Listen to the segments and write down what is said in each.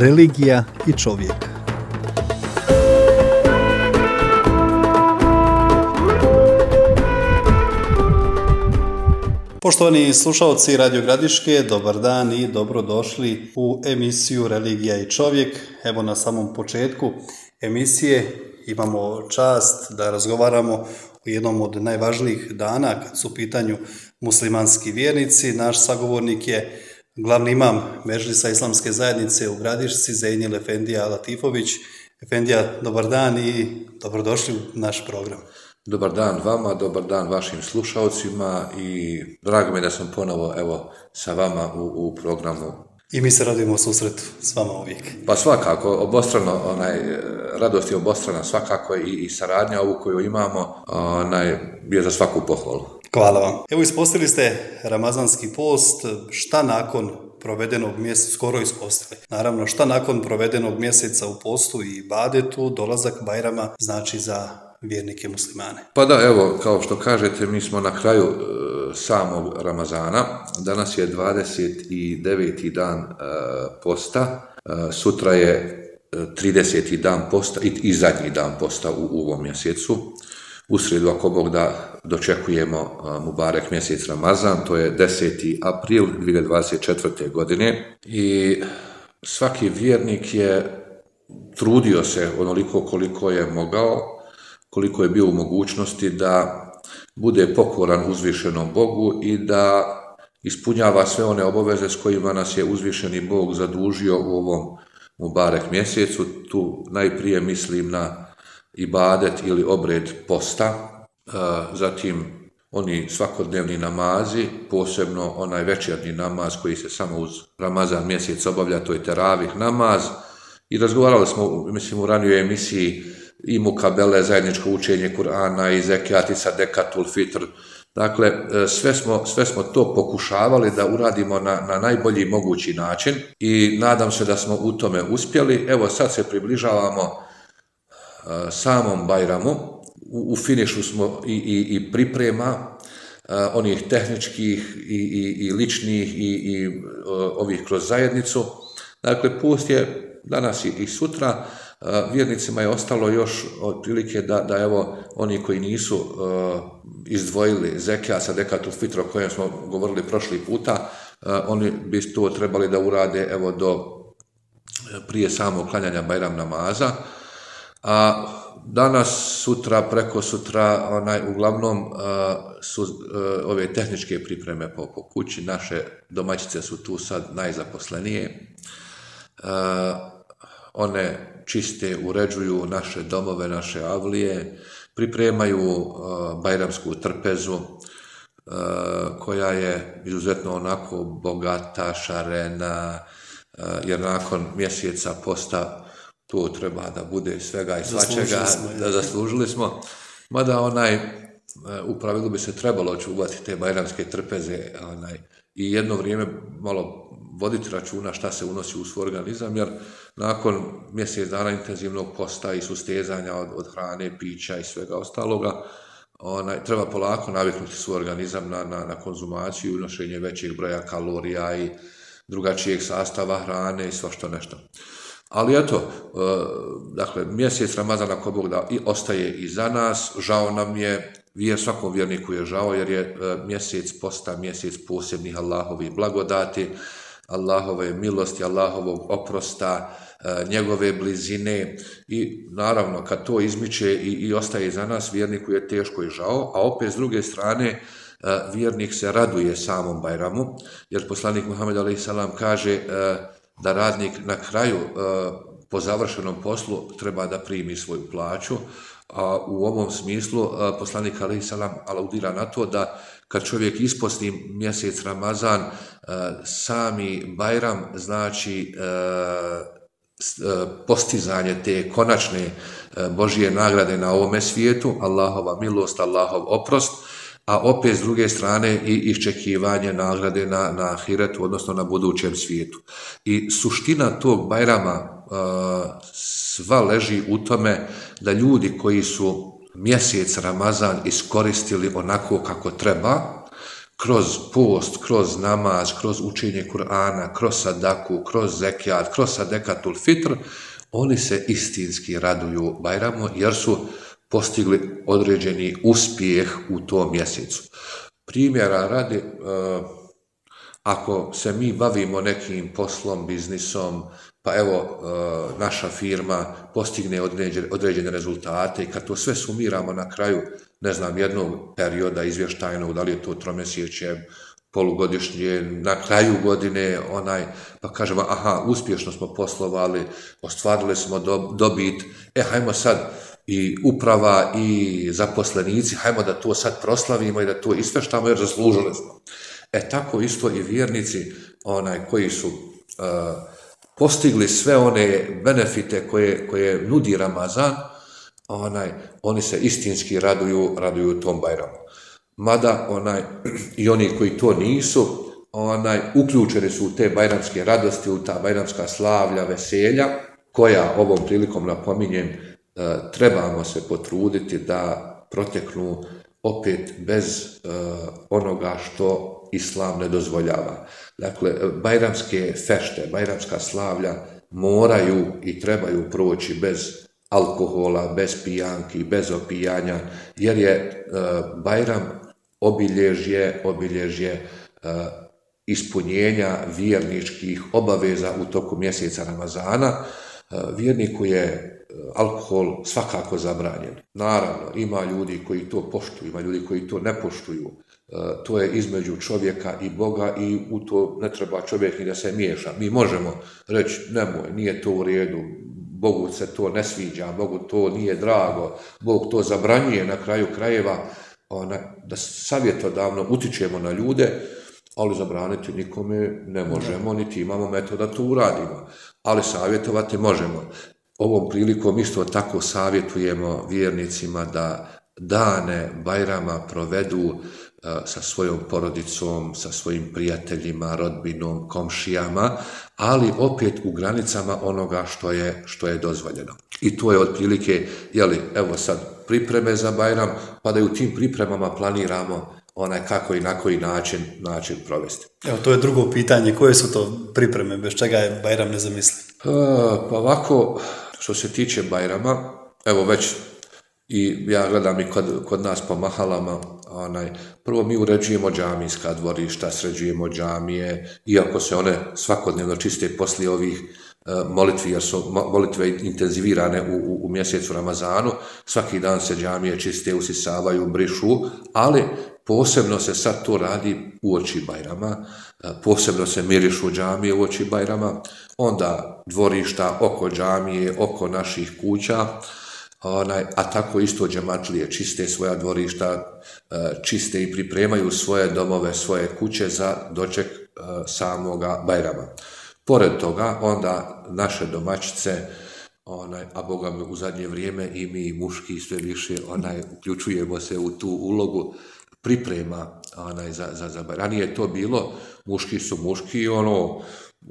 religija i čovjek. Poštovani slušalci Radio Gradiške, dobar dan i dobrodošli u emisiju Religija i čovjek. Evo na samom početku emisije imamo čast da razgovaramo o jednom od najvažnijih dana kad su u pitanju muslimanski vjernici. Naš sagovornik je glavni imam Medžlisa Islamske zajednice u Gradišci, Zejnil Efendija Latifović. Efendija, dobar dan i dobrodošli u naš program. Dobar dan vama, dobar dan vašim slušalcima i drago mi je da sam ponovo sa vama u programu. I mi se radimo susretu s vama uvijek. Pa svakako, obostrano, radost je obostrana svakako i saradnja ovu koju imamo je za svaku pohvalu. Hvala vam. Evo ispostavili ste ramazanski post, šta nakon provedenog mjeseca, skoro ispostavili. Naravno, šta nakon provedenog mjeseca u postu i ibadetu, dolazak Bajrama znači za vjernike muslimane. Pa da, evo, kao što kažete, mi smo na kraju samog Ramazana. Danas je 29. dan posta, sutra je 30. dan posta i zadnji dan posta u ovom mjesecu. U srijedu, ako Bog da, dočekujemo Mubarek mjesec Ramazan, to je 10. april 2024. godine i svaki vjernik je trudio se onoliko koliko je mogao, koliko je bio u mogućnosti da bude pokoran uzvišenom Bogu i da ispunjava sve one obaveze s kojima nas je uzvišeni Bog zadužio u ovom Mubarek mjesecu. Tu najprije mislim na ibadet ili obred posta, zatim oni svakodnevni namazi, posebno onaj večernji namaz koji se samo uz Ramazan mjesec obavlja, to je teravih namaz. I razgovarali smo, mislim, u ranijoj emisiji i mukabele, zajedničko učenje Kur'ana i zekijat i sadekatul fitr. Dakle, sve smo to pokušavali da uradimo na najbolji mogući način i nadam se da smo u tome uspjeli. Evo sad se približavamo samom Bajramu, u finišu smo i priprema onih tehničkih i ličnih i ovih kroz zajednicu. Dakle, post je danas i sutra. Vjernicima je ostalo još otprilike da evo oni koji nisu izdvojili zekijat sadekatul fitr o kojem smo govorili prošli puta, oni bi to trebali da urade evo do prije samog klanjanja Bajram namaza. A danas, sutra, preko sutra, uglavnom su ove tehničke pripreme po kući. Naše domaćice su tu sad najzaposlenije. One čiste, uređuju naše domove, naše avlije, pripremaju bajramsku trpezu koja je izuzetno onako bogata, šarena, jer nakon mjeseca posta to treba da bude svega i svačega, zaslužili smo. Mada u pravilu bi se trebalo čuvati te bajramske trpeze i jedno vrijeme malo voditi računa šta se unosi u svoj organizam, jer nakon mjesec dana intenzivnog posta i sustezanja od hrane, pića i svega ostaloga, treba polako naviknuti svoj organizam na konzumaciju i unošenje većeg broja kalorija i drugačijeg sastava hrane i svašta nešto. Ali eto, dakle, mjesec Ramazana ako Bog da ostaje iza nas, žao nam je, svakom vjerniku je žao jer je mjesec posta, mjesec posebnih Allahovih blagodati, Allahove milosti, Allahovog oprosta, njegove blizine i naravno kad to izmiče i ostaje iza nas, vjerniku je teško i žao, a opet s druge strane vjernik se raduje samom Bajramu, jer poslanik Muhammed a.s. kaže da radnik na kraju po završenom poslu treba da primi svoju plaću, a u ovom smislu poslanik a.s. aludira na to da kad čovjek isposti mjesec Ramazan, sami Bajram znači postizanje te konačne Božje nagrade na ovome svijetu, Allahova milost, Allahov oprost, a opet s druge strane i iščekivanje nagrade na ahiretu, odnosno na budućem svijetu. I suština tog Bajrama sva leži u tome da ljudi koji su mjesec Ramazan iskoristili onako kako treba, kroz post, kroz namaz, kroz učenje Kur'ana, kroz sadaku, kroz zekijat, kroz sadekatul fitr, oni se istinski raduju Bajramu jer su postigli određeni uspjeh u tom mjesecu. Primjera radi, ako se mi bavimo nekim poslom, biznisom, pa evo naša firma postigne određene rezultate i kad to sve sumiramo na kraju, ne znam, jednog perioda izvještajnog, da li je to tromjesečje, polugodišnje, na kraju godine, pa kažemo, aha, uspješno smo poslovali, ostvarili smo dobit, hajmo sad i uprava i zaposlenici, hajmo da to sad proslavimo i da to isfeštamo jer zaslužili smo. Tako isto i vjernici koji su postigli sve one benefite koje nudi Ramazan, oni se istinski raduju tom Bajramu. Mada i oni koji to nisu, uključeni su u te bajramske radosti, u ta bajramska slavlja, veselja, koja ovom prilikom napominjem trebamo se potruditi da proteknu opet bez onoga što Islam ne dozvoljava. Dakle, bajramske fešte, bajramska slavlja moraju i trebaju proći bez alkohola, bez pijanki, bez opijanja, jer je Bajram obilježje ispunjenja vjerničkih obaveza u toku mjeseca Ramazana. Vjerniku je alkohol svakako zabranjen. Naravno, ima ljudi koji to poštuju, ima ljudi koji to ne poštuju. To je između čovjeka i Boga i u to ne treba čovjek ni da se miješa. Mi možemo reći, nemoj, nije to u redu, Bogu se to ne sviđa, Bogu to nije drago, Bog to zabranjuje na kraju krajeva, da savjetodavno utičemo na ljude, ali zabraniti nikome ne možemo, niti imamo metoda da to uradimo, ali savjetovati možemo. Ovom prilikom isto tako savjetujemo vjernicima da dane Bajrama provedu sa svojom porodicom, sa svojim prijateljima, rodbinom, komšijama, ali opet u granicama onoga što je dozvoljeno. I to je otprilike, evo sad pripreme za Bajram, pa da i u tim pripremama planiramo kako i na koji način provesti. Evo, to je drugo pitanje, koje su to pripreme, bez čega je Bajram nezamisliv? Pa ovako, što se tiče Bajrama, evo već i ja gledam i kod nas po mahalama, prvo mi uređujemo džamijska dvorišta, sređujemo džamije, iako se one svakodnevno čiste poslije ovih molitvi, jer su molitve intenzivirane u mjesecu Ramazanu, svaki dan se džamije čiste, usisavaju, brišu, ali posebno se sad to radi uoči Bajrama, posebno se mirišu džamije uoči Bajrama, onda dvorišta oko džamije, oko naših kuća, a tako isto džematlije čiste svoja dvorišta, čiste i pripremaju svoje domove, svoje kuće za doček samoga Bajrama. Pored toga, onda naše domaćice, a Boga mi u zadnje vrijeme i mi muški sve više uključujemo se u tu ulogu priprema za Bajram. Ranije je to bilo, muški su muški,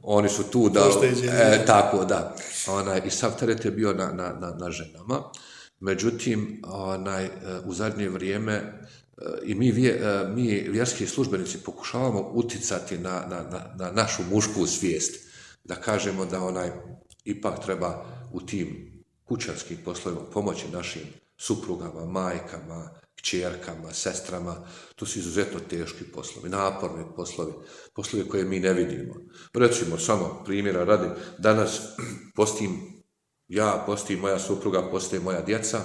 oni su tu da... tako, da. I sav teret je bio na ženama. Međutim, u zadnje vrijeme i mi vjerski službenici pokušavamo uticati na našu mušku svijest. Da kažemo da ipak treba u tim kućanskim poslovima pomoći našim suprugama, majkama, kćerkama, sestrama. To su izuzetno teški poslovi, naporni poslovi koje mi ne vidimo. Recimo, samo primjera radi, danas postim moja supruga, poste moja djeca,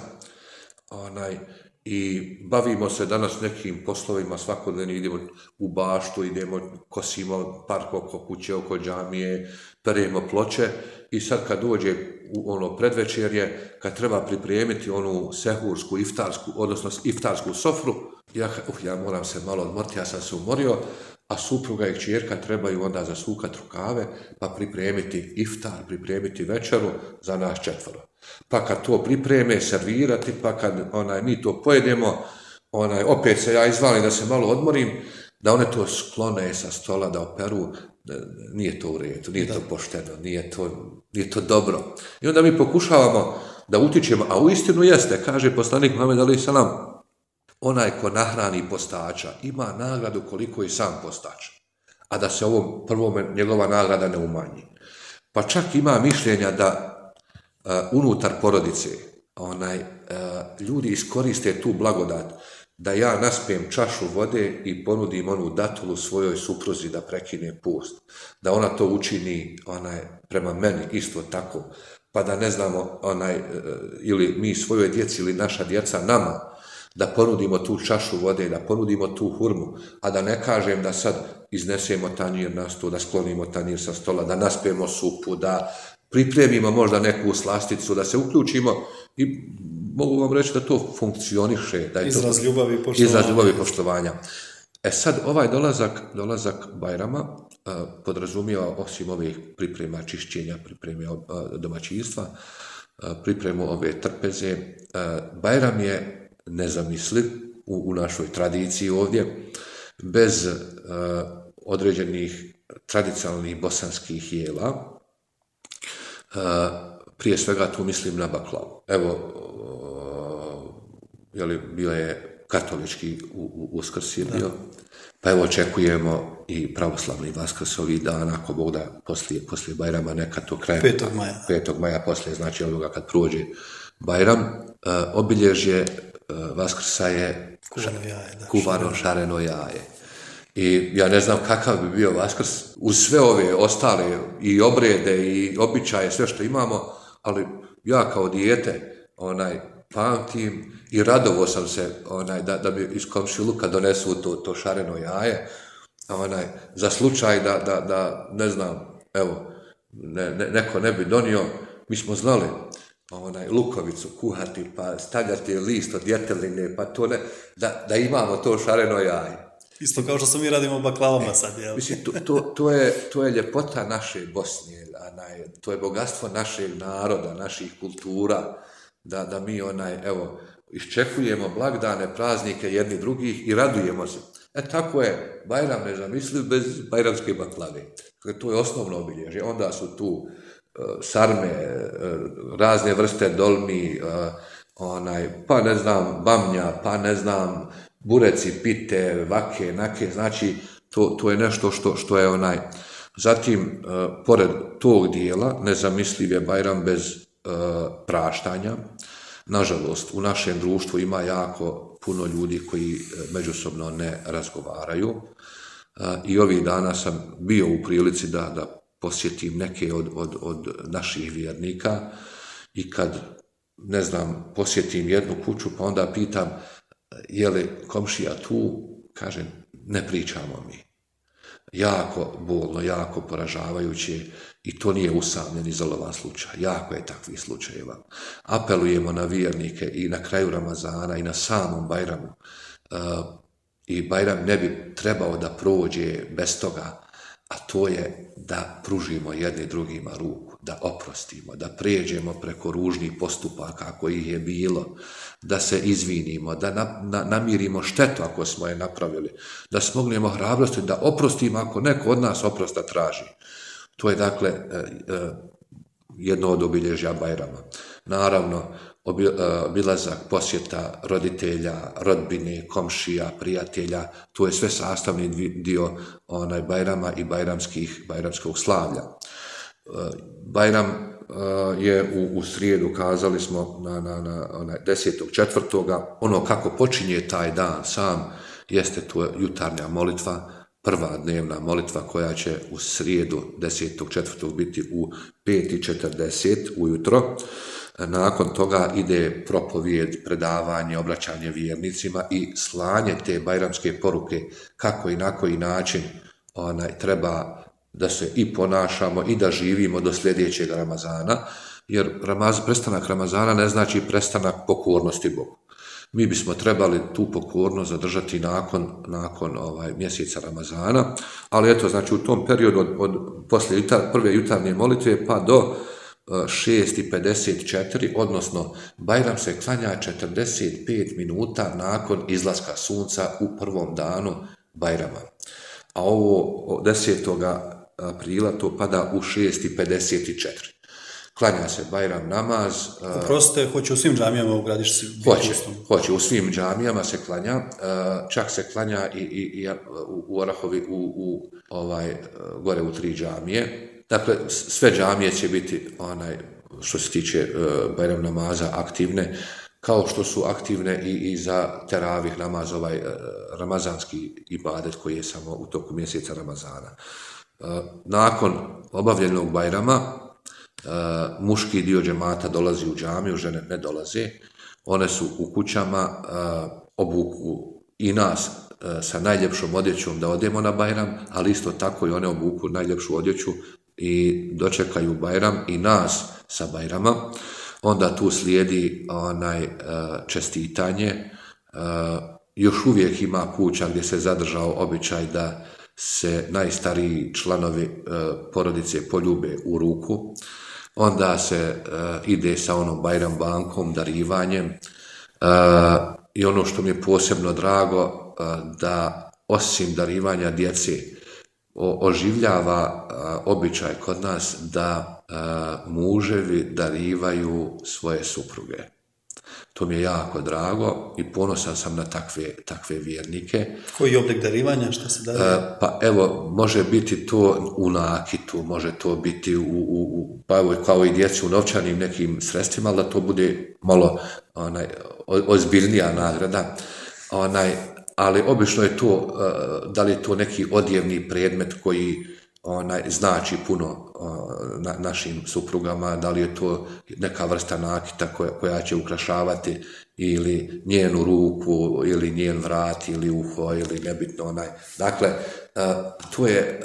i bavimo se danas nekim poslovima, svakodnevno idemo u baštu, kosimo park oko kuće, oko džamije, peremo ploče i sad kad dođe u predvečerje, kad treba pripremiti onu sehursku, iftarsku sofru, ja moram se malo odmoriti, ja sam se umorio, a supruga i kćerka trebaju onda zasukati rukave, pa pripremiti iftar, pripremiti večeru za nas 4. Pa kad to pripreme, servirati, pa kad mi to pojedemo, opet se ja izvalim da se malo odmorim, da one to sklone sa stola, da operu, nije to u redu, nije to pošteno, nije to dobro. I onda mi pokušavamo da utičemo, a uistinu jeste, kaže poslanik Muhammed alejhi selam, onaj ko nahrani postača ima nagradu koliko i sam postač, a da se ovom prvome njegova nagrada ne umanji. Pa čak ima mišljenja da unutar porodice ljudi iskoriste tu blagodat, da ja naspijem čašu vode i ponudim onu datulu svojoj supruzi da prekine post, da ona to učini prema meni isto tako, pa da ne znamo ili mi svojoj djeci ili naša djeca nama, da ponudimo tu čašu vode, da ponudimo tu hurmu, a da ne kažem da sad iznesemo tanjir na stol, da sklonimo tanjir sa stola, da naspijemo supu, da pripremimo možda neku slasticu, da se uključimo i mogu vam reći da to funkcioniše. Da je izraz ljubavi i poštovanja. Izraz ljubavi i poštovanja. Sad ovaj dolazak Bajrama podrazumijeva osim ovih priprema čišćenja, priprema domaćinstva, pripremu ove trpeze. Bajram je nezamisliv u našoj tradiciji ovdje, bez određenih tradicionalnih bosanskih jela. Prije svega tu mislim na baklavu. Evo, bio je katolički Uskrs je bio, pa evo očekujemo i pravoslavni Vaskrs ovih dana, ako Bog da poslije Bajrama, neka to krajem 5. maja poslije, znači ovoga kad prođe Bajram. Obilježje Vaskrsa je kuvano šareno jaje. I ja ne znam kakav bi bio Vaskrs uz sve ove ostale i obrede i običaje, sve što imamo, ali ja kao dijete pamtim i radovo sam se da mi iz komšiluka donesu to šareno jaje, za slučaj da ne znam, evo, neko ne bi donio, mi smo znali lukovicu kuhati, pa stavljati list od djeteline, pa to ne, da imamo to šareno jaje. Isto kao što mi radimo baklavama sad, jel? Mislim, to je ljepota naše Bosne, to je bogatstvo našeg naroda, naših kultura, da mi iščekujemo blagdane, praznike jedni drugih i radujemo se. Tako je Bajram nezamisliv bez bajramske baklave. To je osnovno obilježje. Onda su tu sarme, razne vrste dolmi, pa ne znam, bamnja, pa ne znam, bureci, pite, vake, nake, znači to je nešto što je Zatim, pored tog dijela, nezamisliv je Bajram bez praštanja. Nažalost, u našem društvu ima jako puno ljudi koji međusobno ne razgovaraju i ovih dana sam bio u prilici da posjetim neke od naših vjernika i kad, ne znam, posjetim jednu kuću pa onda pitam je li komšija tu, kažem, ne pričamo mi. Jako bolno, jako poražavajuće i to nije usamljen, izolovan slučaj. Jako je takvih slučajeva. Apelujemo na vjernike i na kraju Ramazana i na samom Bajramu. I Bajram ne bi trebao da prođe bez toga, a to je da pružimo jedni drugima ruku, da oprostimo, da prijeđemo preko ružnih postupaka kojih je bilo, da se izvinimo, da namirimo štetu ako smo je napravili, da smognemo hrabrosti, da oprostimo ako neko od nas oprosta traži. To je dakle jedno od obilježja Bajrama. Naravno, obilazak, posjeta roditelja, rodbine, komšija, prijatelja, to je sve sastavni dio Bajrama i bajramskog slavlja. Bajram je u srijedu, kazali smo, na 10.4. Ono kako počinje taj dan sam jeste to jutarnja molitva, prva dnevna molitva koja će u srijedu 10.4. biti u 5.40 ujutro. Nakon toga ide propovijed, predavanje, obraćanje vjernicima i slanje te bajramske poruke kako i na koji način treba da se i ponašamo i da živimo do sljedećeg Ramazana, jer prestanak Ramazana ne znači prestanak pokornosti Bogu. Mi bismo trebali tu pokornost zadržati nakon mjeseca Ramazana, ali eto, znači u tom periodu poslije prve jutarnje molitve pa do 6.54, odnosno Bajram se klanja 45 minuta nakon izlaska sunca u prvom danu Bajrama. A ovo 10. aprila to pada u 6.54. klanja se Bajram namaz. Oprostite, hoće u svim džamijama u Gradišci? Hoće, u svim džamijama se klanja, čak se klanja i u Orahovi, gore u 3 džamije. Dakle, sve džamije će biti, što se tiče Bajram namaza, aktivne, kao što su aktivne i za teravih namaz, ramazanski ibadet koji je samo u toku mjeseca Ramazana. Nakon obavljenog Bajrama, muški dio džemata dolazi u džamiju, žene ne dolaze. One su u kućama, obuku i nas sa najljepšom odjećom da odemo na Bajram, ali isto tako i one obuku najljepšu odjeću i dočekaju Bajram i nas sa Bajrama. Onda tu slijedi čestitanje. Još uvijek ima kuća gdje se zadržao običaj da se najstariji članovi porodice poljube u ruku. Onda se ide sa onom Bajram bankom, darivanjem. I ono što mi je posebno drago, da osim darivanja djece oživljava običaj kod nas da muževi darivaju svoje supruge. To mi je jako drago i ponosan sam na takve vjernike. Koji je oblik darivanja, što se daruje? Pa evo, može biti to u nakitu, može to biti kao i djeci u novčanim nekim sredstvima, ali da to bude malo ozbiljnija nagrada. Ali obično je to, da li je to neki odjevni predmet koji znači puno našim suprugama, da li je to neka vrsta nakita koja će ukrašavati ili njenu ruku, ili njen vrat, ili uho, ili nebitno Dakle, to je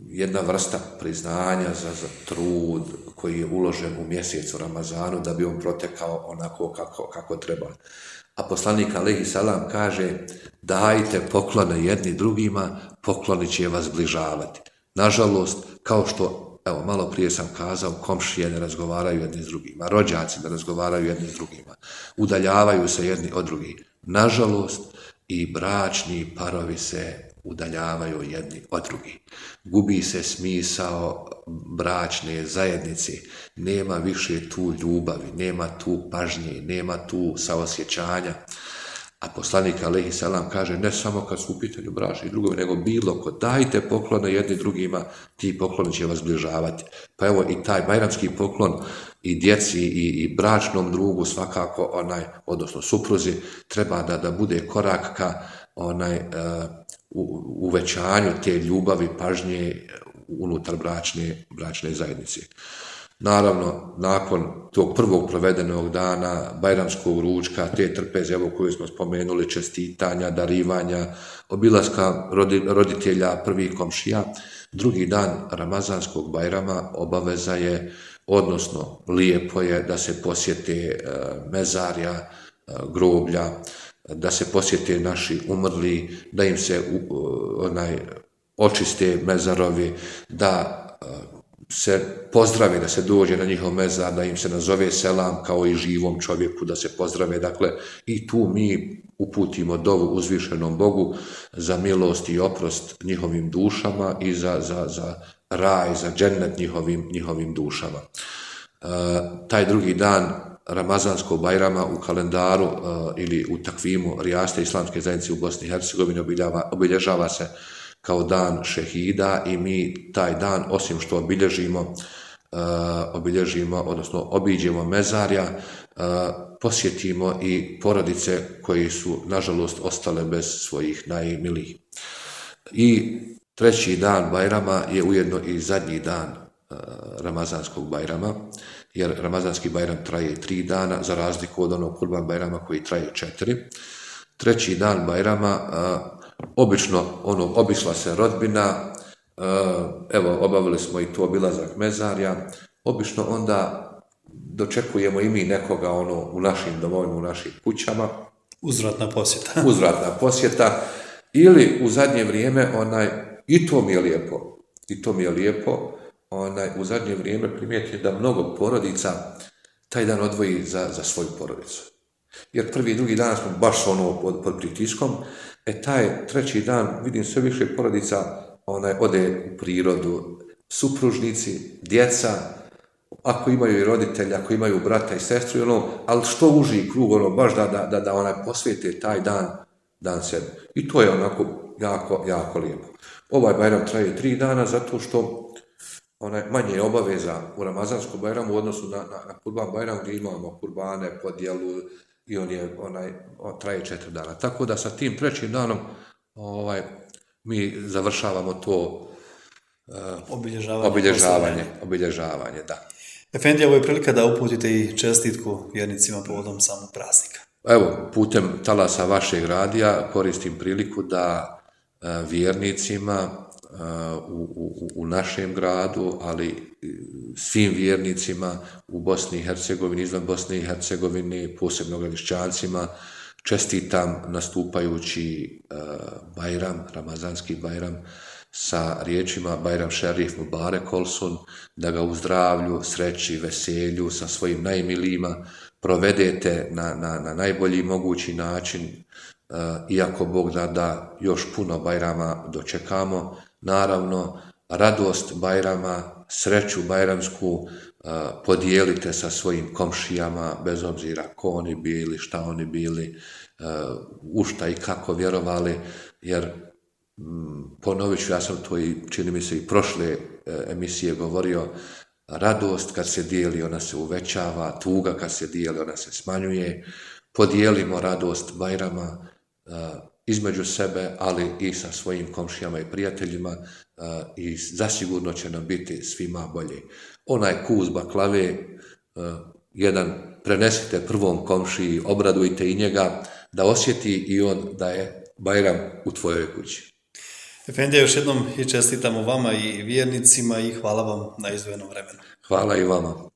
jedna vrsta priznanja za trud koji je uložen u mjesecu Ramazanu da bi on protekao onako kako treba. A poslanik alejhi selam kaže: dajte poklone jedni drugima, pokloni će vas zbližavati. Nažalost, kao što, evo, malo prije sam kazao, komšije ne razgovaraju jedni s drugima, rođaci ne razgovaraju jedni s drugima, udaljavaju se jedni od drugih. Nažalost, i bračni parovi se udaljavaju jedni od drugih. Gubi se smisao bračne zajednice, nema više tu ljubavi, nema tu pažnje, nema tu saosjećanja. A poslanik alejhi selam kaže: ne samo kad su u pitanju bračni drugovi, nego bilo ko, dajte poklone jedni drugima, ti pokloni će vas zbližavati. Pa evo i taj bajramski poklon i djeci i bračnom drugu svakako odnosno supruzi treba da bude korak ka uvećanju te ljubavi, pažnje unutar bračne zajednice. Naravno, nakon tog prvog provedenog dana, bajramskog ručka, te trpeze koju smo spomenuli, čestitanja, darivanja, obilaska roditelja, prvih komšija, drugi dan Ramazanskog Bajrama obaveza je, odnosno lijepo je da se posjete mezarja, groblja, da se posjete naši umrli, da im se očiste mezarovi, da se pozdravi, da se dođe na njihov mezar, da im se nazove selam kao i živom čovjeku, da se pozdrave. Dakle, i tu mi uputimo dovu uzvišenom Bogu za milost i oprost njihovim dušama i za raj, za džennet njihovim dušama. Taj drugi dan Ramazanskog Bajrama u kalendaru ili u takvimu Rijaste islamske zajednice u Bosni i Hercegovini obilježava se kao dan šehida i mi taj dan, osim što odnosno obiđemo mezarja, posjetimo i porodice koji su, nažalost, ostale bez svojih najmilijih. I treći dan Bajrama je ujedno i zadnji dan Ramazanskog Bajrama, jer Ramazanski Bajram traje 3 dana, za razliku od onog Kurban Bajrama koji traje 4. Treći dan Bajrama, obično obišla se rodbina, evo, obavili smo i to obilazak mezarja, obično onda dočekujemo i mi nekoga u našim domovima, u našim kućama. Uzvratna posjeta. Uzvratna posjeta, ili u zadnje vrijeme, i to mi je lijepo, u zadnje vrijeme primijetim da mnogo porodica taj dan odvoji za svoju porodicu. Jer prvi i drugi dan smo baš pod pritiskom, taj treći dan vidim sve više porodica ode u prirodu, supružnici, djeca, ako imaju i roditelji, ako imaju brata i sestru, ali što uži krug, baš da onaj posvete taj dan sebi. I to je onako jako, jako lijepo. Ovaj Bajram traje 3 dana zato što manje je obaveza u Ramazanskom Bajramu u odnosu na Kurban Bajram gdje imamo kurbane, podjelu i on traje 4 dana. Tako da sa tim 3. danom mi završavamo to obilježavanje, da. Efendija, ovo je prilika da uputite i čestitku vjernicima povodom samog praznika. Evo, putem talasa vašeg radija koristim priliku da vjernicima u našem gradu, ali svim vjernicima u Bosni i Hercegovini, izvan Bosne i Hercegovine, posebno Gradišćancima, čestitam nastupajući Bajram, Ramazanski Bajram, sa riječima Bajram Šerif Mubarek Olsun, da ga u zdravlju, sreći, veselju sa svojim najmilijima provedete na najbolji mogući način, iako Bog da još puno Bajrama dočekamo. Naravno, radost Bajrama, sreću bajramsku podijelite sa svojim komšijama, bez obzira ko oni bili, šta oni bili, u šta i kako vjerovali, jer ponovit ću, ja sam to i čini mi se i prošle emisije govorio, radost kad se dijeli ona se uvećava, tuga kad se dijeli ona se smanjuje. Podijelimo radost Bajrama između sebe, ali i sa svojim komšijama i prijateljima i zasigurno će nam biti svima bolje. Onaj kus baklave, jedan prenesite prvom komšiji, obradujte i njega da osjeti i on da je Bajram u tvojoj kući. Efendija, još jednom i čestitamo vama i vjernicima i hvala vam na izdvojenom vremenu. Hvala i vama.